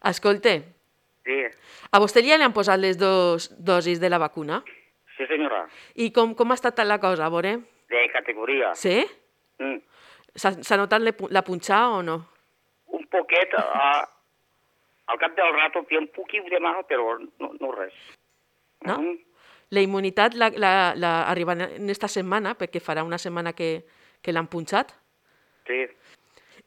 Escolta, Sí, a vostè ja li han posat les dues dosis de la vacuna? sí senyora. I com ha estat la cosa, a veure? De categoria. Sí? Mm. S'ha notat la punxada o no? Un poquet, al cap del rato té un poquit de mal, però no res. No? La immunitat arriba en esta setmana, perquè farà una setmana que l'han punxat. Sí,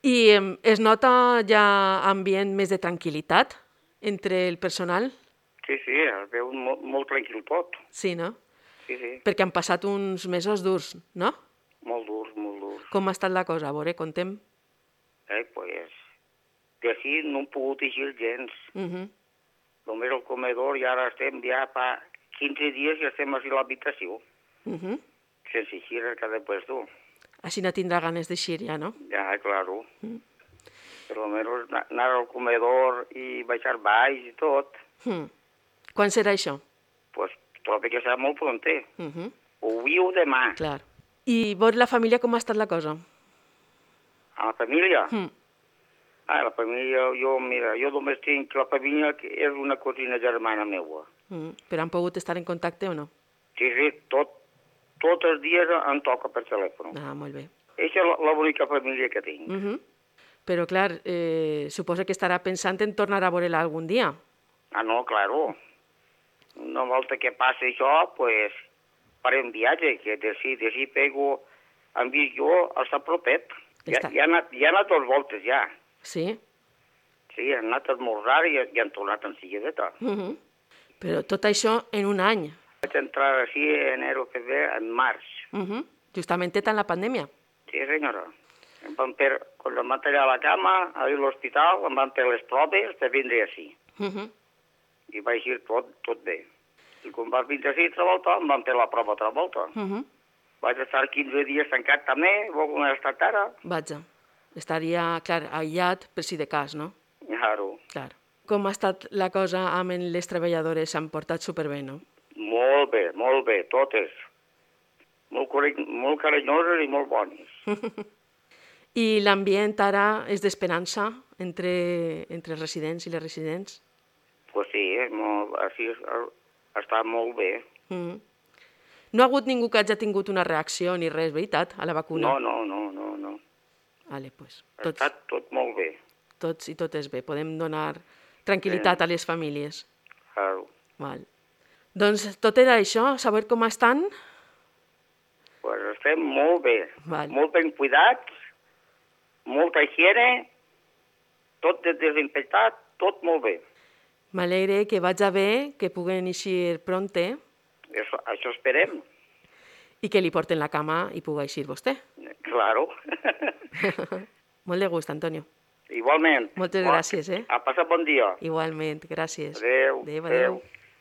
I es nota ja ambient més de tranquil·litat entre el personal? sí, es veu molt tranquil tot. Sí, no? Sí, sí, Perquè han passat uns mesos durs, no? molt durs, molt durs. Com ha estat la cosa? A veure, contem. Pues, d'ací no hem pogut eixir gens. Uh Només al comedor i ara estem ja fa 15 dies i estem així a l'habitació. -huh. Sense eixir cada puesto. Així no tindrà ganes d'eixir ja, no? Ja, claro. Per lo menos anar al comedor i baixar baix i tot, Quan serà això? pues trobo que serà molt pronter. Uh O avui o demà. Clar. I veure la família com ha estat la cosa? A la família? Mm. La família, jo només tinc la família que és una cosina germana meva. Però han pogut estar en contacte o no? Sí, tots els dies em toca per telèfon. Ah, molt bé. Aquesta és l'única família que tinc. Però, clar, suposa que estarà pensant en tornar a veure-la algun dia. No, claro. Una volta que passi això, pues, farem viatge, que d'ací pego, hem vist jo, està propet. Ja ha anat 2 voltes, ja. Sí? Sí, han anat a esmorzar i han tornat en seguideta. Però tot això en un any. Vaig entrar així en enero, febrer, en març. Justament en la pandèmia. Sí, senyora. Quan em van tallar la cama, a l'hospital, em van fer les proves per vindre així. I va eixir tot bé. I quan vaig vindre així altra volta, em van fer la prova altra volta. Vaig estar 15 dies tancat també, com he estat ara. Vaja. Estaria, clar, aïllat per si de cas, no? Claro. Clar. Com ha estat la cosa amb les treballadores? S'han portat superbé, no? Molt bé, totes. Molt carinyoses i molt bones. I l'ambient ara és d'esperança entre els residents i les residents? Pues sí, així està molt bé. No ha hagut ningú que hagi tingut una reacció ni res, veritat, a la vacuna? No. Vale, pues, Està tot molt bé. tots i totes bé. Podem donar tranquil·litat a les famílies. Claro. Val. Doncs tot era això, saber com estan. Pues estem molt bé. Val. Molt ben cuidats, molta higiene, tot desinfectat, tot molt bé. M'alegre que vaig bé, que puguen eixir pronte Això esperem. i que li porten la cama i pugui eixir vostè. Claro. Molt de gust, Antonio. Igualment. Moltes gràcies, A passar bon dia. Igualment, gràcies. Adéu. Adéu.